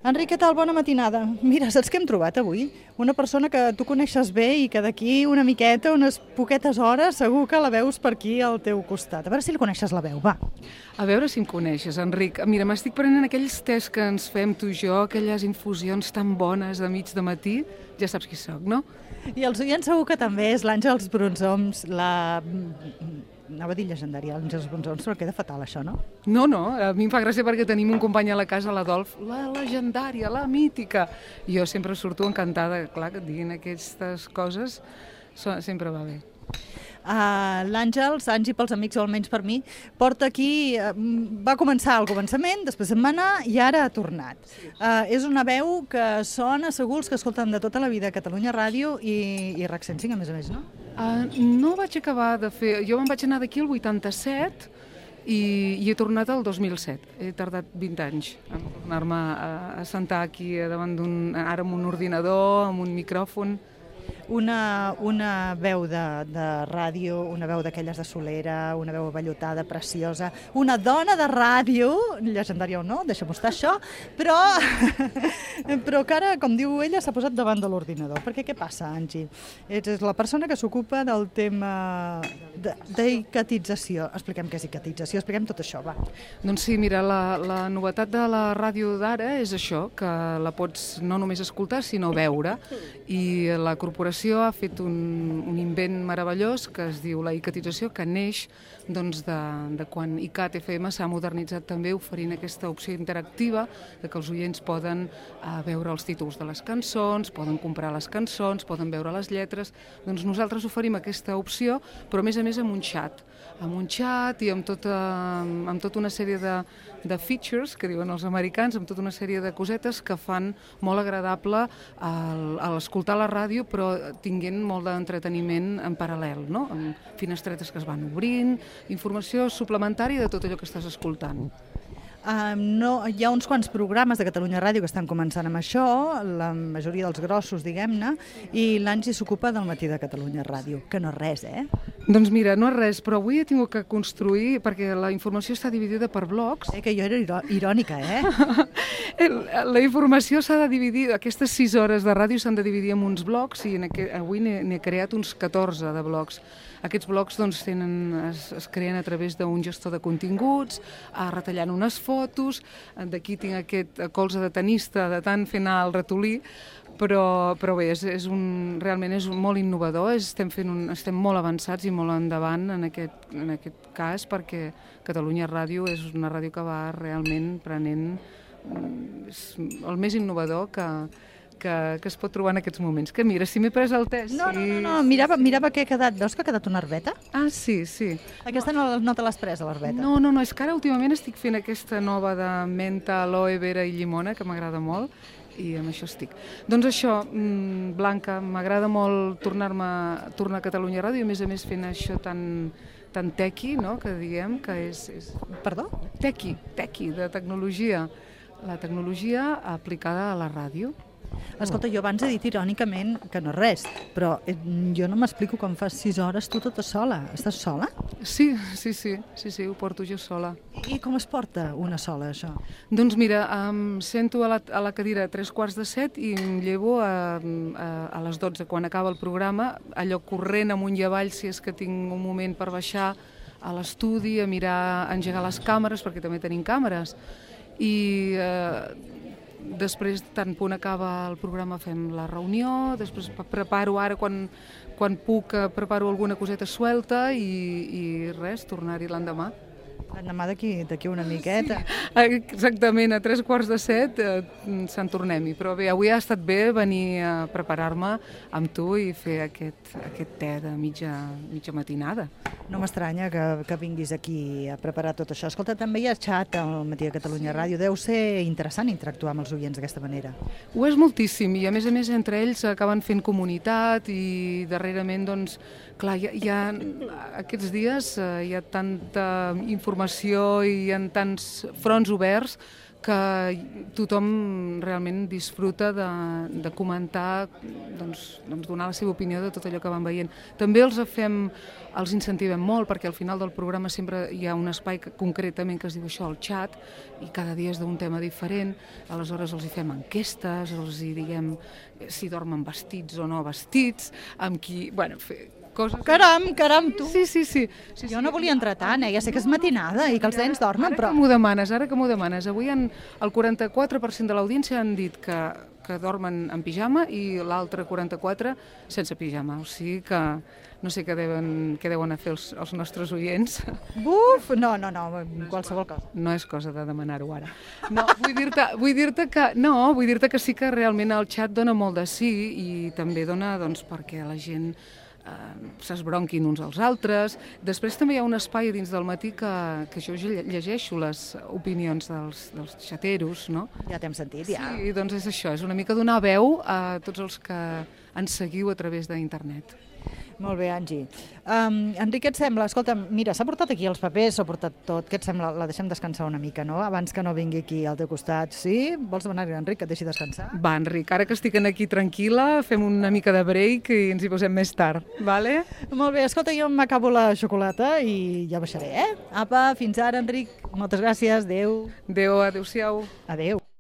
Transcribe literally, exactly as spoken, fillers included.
Enric, què tal? Bona matinada. Mira, saps què hem trobat avui? Una persona que tu coneixes bé i que d'aquí una miqueta, unes poquetes hores, segur que la veus per aquí al teu costat. A veure si li coneixes la veu, va. A veure si em coneixes, Enric. Mira, m'estic prenent aquells tés que ens fem tu i jo, aquelles infusions tan bones de mig de matí. Ja saps qui sóc, no? I els oients segur que també és l'Àngels Brunzoms, la... Anava a dir llegendària, l'Àngels Brunzoms, però queda fatal això, no? No, no, a mi em fa gràcia perquè tenim un company a la casa, l'Adolf, la legendària, la mítica. Jo sempre surto encantada, clar, que et diguin aquestes coses, sempre va bé. Uh, L'Àngels, Angi pels amics o almenys per mi, porta aquí, uh, va començar al començament, després se'n va anar i ara ha tornat. Uh, és una veu que sona segur els que escolten de tota la vida a Catalunya Ràdio i, i RAC cent cinc, a més a més, no? Uh, no vaig acabar de fer... Jo me'n vaig anar d'aquí el vuitanta-set i, i he tornat el dos mil set. He tardat vint anys a tornar-me a, a sentar aquí davant d'un... ara amb un ordinador, amb un micròfon. Una, una veu de, de ràdio, una veu d'aquelles de solera, una veu vellutada, preciosa, una dona de ràdio, llegendària o no, deixa'm estar això, però, però que ara, com diu ella, s'ha posat davant de l'ordinador. Perquè què passa, Angi? Ets és la persona que s'ocupa del tema d'icatització. Expliquem què és icatització, expliquem tot això, va. Doncs sí, mira, la, la novetat de la ràdio d'ara és això, que la pots no només escoltar, sinó veure, i la corporació ha fet un, un invent meravellós que es diu la icatització, que neix doncs, de, de quan ICAT F M s'ha modernitzat també oferint aquesta opció interactiva de que els oients poden uh, veure els títols de les cançons, poden comprar les cançons, poden veure les lletres. Doncs nosaltres oferim aquesta opció, però a més a més amb un xat, amb un xat i amb tota, amb tota una sèrie de, de features, que diuen els americans, amb tota una sèrie de cosetes que fan molt agradable al, a l'escoltar la ràdio, però tinguent molt d'entreteniment en paral·lel, no? Amb finestretes que es van obrint, informació suplementària de tot allò que estàs escoltant. Uh, no, hi ha uns quants programes de Catalunya Ràdio que estan començant amb això, la majoria dels grossos, diguem-ne, i l'Angi s'ocupa del matí de Catalunya Ràdio, que no és res, eh? Doncs mira, no és res, però avui he tingut que construir, perquè la informació està dividida per blocs. Eh, que jo era irò irònica, eh? La informació s'ha de dividir, aquestes sis hores de ràdio s'han de dividir en uns blocs i en aquest, avui n'he creat uns catorze de blocs. Aquests blocs doncs, tenen, es, es creen a través d'un gestor de continguts, retallant unes fotos, d'aquí tinc aquest colze de tenista de tant fer anar el ratolí, però, però bé, és, és un, realment és un, molt innovador, és, estem, fent un, estem molt avançats i molt endavant en aquest, en aquest cas, perquè Catalunya Ràdio és una ràdio que va realment prenent és el més innovador que, que, que es pot trobar en aquests moments. Que mira, si m'he pres el test... No, no, no, no. Mirava, mirava que ha quedat... Veus que ha quedat una herbeta? Ah, sí, sí. Aquesta no, no te l'has presa, l'herbeta? No, no, no, és que ara últimament estic fent aquesta nova de menta, aloe vera i llimona, que m'agrada molt, i amb això estic. Doncs això, Blanca, m'agrada molt tornar-me tornar a Catalunya Ràdio, i a més a més fent això tan, tan tequi, no?, que diguem que és... és... Perdó? Tequi, tequi, de tecnologia. La tecnologia aplicada a la ràdio. Escolta, jo abans he dit irònicament que no és res, però jo no m'explico com fas sis hores tu tota sola. Estàs sola? Sí, sí, sí, sí, sí, ho porto jo sola. I com es porta una sola, això? Doncs mira, em sento a la, a la cadira a tres quarts de set i em llevo a, a, a les dotze, quan acaba el programa, allò corrent amunt i avall, si és que tinc un moment per baixar a l'estudi, a mirar, a engegar les càmeres, perquè també tenim càmeres, i eh, després, tant punt acaba el programa, fem la reunió, després preparo ara, quan, quan puc, preparo alguna coseta suelta i, i res, tornar-hi l'endemà. L'endemà d'aquí una miqueta. Sí, exactament, a tres quarts de set eh, se'n tornem-hi, però bé, avui ha estat bé venir a preparar-me amb tu i fer aquest, aquest te de mitja, mitja matinada. No m'estranya que, que vinguis aquí a preparar tot això. Escolta, també hi ha xat al matí de Catalunya Ràdio. Deu ser interessant interactuar amb els oients d'aquesta manera. Ho és moltíssim i a més a més entre ells acaben fent comunitat i darrerament, doncs, clar, hi ha, hi ha aquests dies eh, hi ha tanta informació i hi ha tants fronts oberts que tothom realment disfruta de, de comentar, doncs, doncs donar la seva opinió de tot allò que van veient. També els fem, els incentivem molt, perquè al final del programa sempre hi ha un espai que, concretament que es diu això, el xat, i cada dia és d'un tema diferent, aleshores els hi fem enquestes, els hi diguem si dormen vestits o no vestits, amb qui... Bueno, fer coses... Caram, caram, tu! Sí, sí, sí. sí jo no volia entrar tant, eh? Ja sé que és matinada i que els nens dormen, ara però... Ara que m'ho demanes, ara que m'ho demanes. Avui han, el quaranta-quatre per cent de l'audiència han dit que, que dormen en pijama i l'altre quaranta-quatre sense pijama. O sigui que no sé què deuen, què deuen a fer els, els nostres oients. Buf! No, no, no, qualsevol cosa. No és cosa de demanar-ho ara. No, vull dir-te vull dir-te que, no, vull dir-te que sí que realment el xat dona molt de sí i també dona, doncs, perquè la gent s'esbronquin uns als altres. Després també hi ha un espai dins del matí que, que jo llegeixo les opinions dels, dels xateros, no? Ja t'hem sentit, ja. Sí, doncs és això, és una mica donar veu a tots els que ens seguiu a través d'internet. Molt bé, Angi. Um, Enric, què et sembla? Escolta, mira, s'ha portat aquí els papers, s'ha portat tot. Què et sembla? La deixem descansar una mica, no? Abans que no vingui aquí al teu costat. Sí? Vols demanar-li a Enric que et deixi descansar? Va, Enric, ara que estic aquí tranquil·la, fem una mica de break i ens hi posem més tard, vale? Molt bé, escolta, jo m'acabo la xocolata i ja baixaré, eh? Apa, fins ara, Enric. Moltes gràcies, adeu. Adéu, adéu-siau. Adéu.